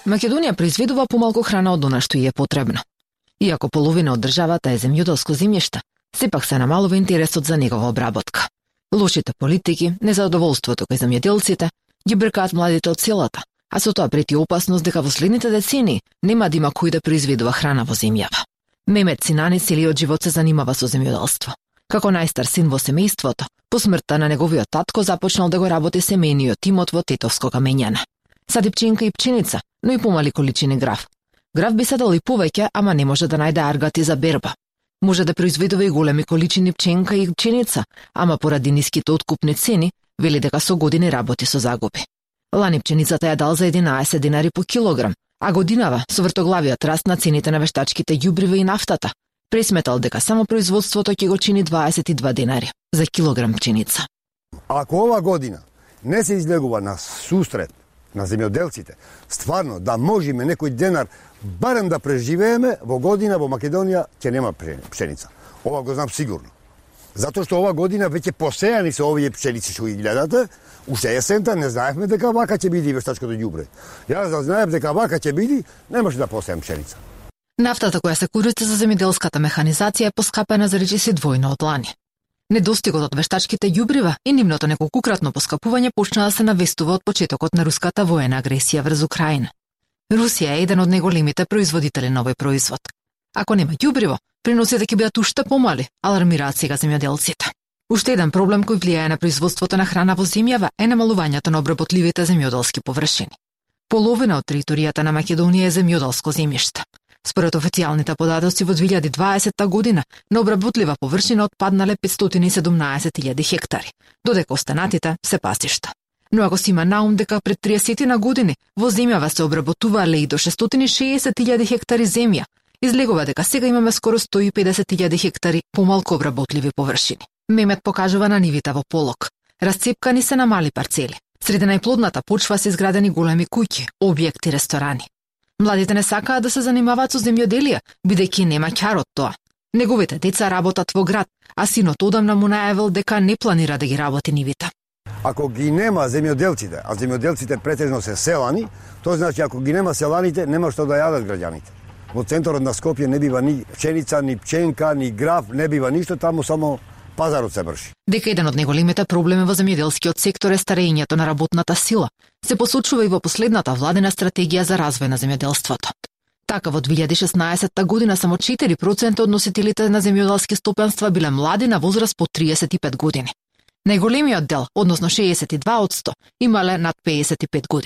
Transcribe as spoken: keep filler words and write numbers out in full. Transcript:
Македонија произведува помалку храна од она што ѝ е потребно. Иако половина од државата е земјоделско земјиште, сепак се намалува интересот за негова обработка. Лошите политики, незадоволството кај земјоделците ги бркаат младите од селата, а со тоа прети опасност дека во следните децении нема да има кој да произведува храна во земјава. Мемет Синани целиот живот се занимава со земјоделство. Како најстар син во семејството, по смртта на неговиот татко започнал да го работи семејниот имот во Тетовско камењане. Сади пченка и пченица, но и помали количини грав. Грав би садал и повеќе, ама не може да најде аргати за берба. Може да произведува и големи количини пченка и пченица, ама поради ниските откупни цени, вели дека со години работи со загуби. Лани пченицата ја дал за единаесет динари по килограм, а годинава со вртоглавиот раст на цените на вештачките ѓубрива и нафтата, пресметал дека само производството ќе го чини дваесет и два динари за килограм пченица. Ако ова година не се излегува на сусрет на земјоделците, стварно да можеме некој денар барем да преживееме, во година во Македонија ќе нема пшеница. Ова го знам сигурно. Затоа што ова година веќе посејани се овие пшеници што ги гледате, уште есента не знаевме дека вака ќе биде вештачкото ѓубре. Јас да знаев дека вака ќе биде, немаше да посеам пшеница. Нафтата која се користи за земјоделската механизација е поскапена за речиси двојно од лани. Недостигот од вештачките ѓубрива и нивното неколкукратно поскапување почна да се навестува од почетокот на руската воена агресија врз Украина. Русија е еден од најголемите производители на овој производ. Ако нема ѓубриво, приносите ќе бидат уште помали, алармираат сега земјоделците. Уште еден проблем кој влијае на производството на храна во земјава е намалувањето на обработливите земјоделски површини. Половина од територијата на Македонија е земјоделско земјиште. Според официјалните податоци во две илјади и дваесетта година на обработлива површина отпаднале петстотини и седумнаесет илјади хектари, додека останатите се пасишта. Но ако си има наум дека пред триесет на години во земјава се обработувале и до шестстотини и шеесет илјади хектари земја, излегува дека сега имаме скоро сто и педесет илјади хектари помалку обработливи површини. Мемет покажува на нивите во полок. Расцепкани се на мали парцели. Среде најплодната почва се изградени големи куќи, објекти, ресторани. Младите не сакаат да се занимаваат со земјоделие, бидејќи нема ќар од тоа. Неговите деца работат во град, а синот одамна му најавил дека не планира да ги работи нивите. Ако ги нема земјоделците, а земјоделците претежно се селани, тоа значи ако ги нема селаните, нема што да јадат граѓаните. Во центарот на Скопје не бива ни пшеница, ни пченка, ни грав, не бива ништо, таму само пазарот се врши. Дека еден од најголемите проблеми во земјоделскиот сектор е старењето на работната сила, се посочува и во последната владина стратегија за развој на земјоделството. Така во две илјади и шеснаесетта година само четири проценти од носителите на земјоделски стопанства биле млади на возраст по триесет и пет години. Најголемиот дел, односно шеесет и два одсто, имале над пеесет и пет години.